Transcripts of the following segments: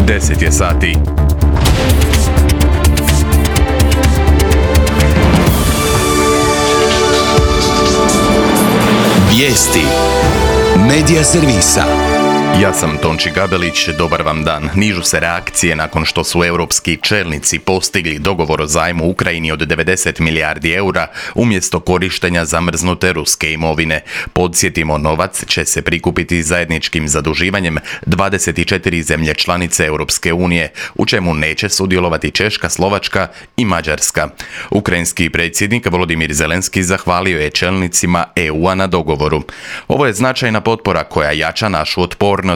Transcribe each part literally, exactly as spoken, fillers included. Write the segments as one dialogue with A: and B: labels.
A: deset je sati.
B: Vijesti Medija servisa.
A: Ja sam Tonči Gabelić, dobar vam dan. Nižu se reakcije nakon što su europski čelnici postigli dogovor o zajmu Ukrajini od devedeset milijardi eura umjesto korištenja zamrznute ruske imovine. Podsjetimo, novac će se prikupiti zajedničkim zaduživanjem dvadeset četiri zemlje članice Europske unije, u čemu neće sudjelovati Češka, Slovačka i Mađarska. Ukrajinski predsjednik Volodimir Zelenski zahvalio je čelnicima E U-a na dogovoru. Ovo je značajna potpora koja jača našu otpornost.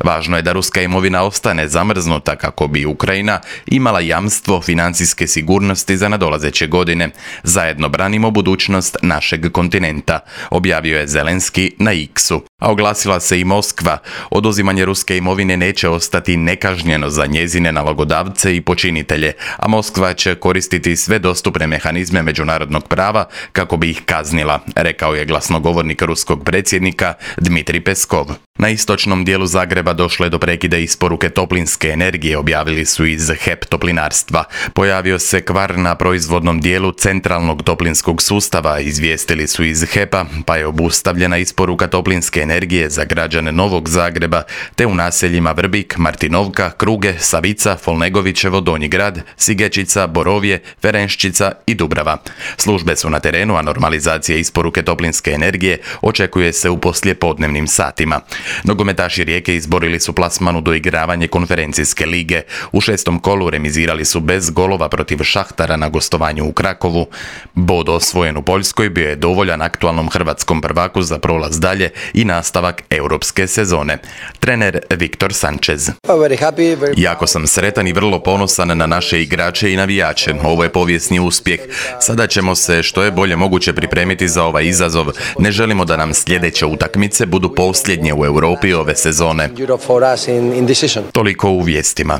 A: Važno je da ruska imovina ostane zamrznuta kako bi Ukrajina imala jamstvo financijske sigurnosti za nadolazeće godine. Zajedno branimo budućnost našeg kontinenta, objavio je Zelenski na X-u. A oglasila se i Moskva. Oduzimanje ruske imovine neće ostati nekažnjeno za njezine nalogodavce i počinitelje, a Moskva će koristiti sve dostupne mehanizme međunarodnog prava kako bi ih kaznila, rekao je glasnogovornik ruskog predsjednika Dmitrij Peskov. Na istočnom dijelu Zagreba došlo je do prekida isporuke toplinske energije, objavili su iz H E P Toplinarstva. Pojavio se kvar na proizvodnom dijelu centralnog toplinskog sustava, izvijestili su iz H E P-a, pa je obustavljena isporuka toplinske energije za građane Novog Zagreba, te u naseljima Vrbik, Martinovka, Kruge, Savica, Folnegovićevo, Donji grad, Sigečica, Borovje, Ferenščica i Dubrava. Službe su na terenu, a normalizacija isporuke toplinske energije očekuje se u poslijepodnevnim satima. Nogometaši Rijeke izborili su plasman u doigravanje konferencijske lige. U šestom kolu remizirali su bez golova protiv Šahtara na gostovanju u Krakovu. Bod osvojen u Poljskoj bio je dovoljan aktualnom hrvatskom prvaku za prolaz dalje i nastavak europske sezone. Trener Viktor Sanchez. Jako sam sretan i vrlo ponosan na naše igrače i navijače. Ovo je povijesni uspjeh. Sada ćemo se što je bolje moguće pripremiti za ovaj izazov. Ne želimo da nam sljedeće utakmice budu posljednje u Europi ove sezone. Toliko u vijestima.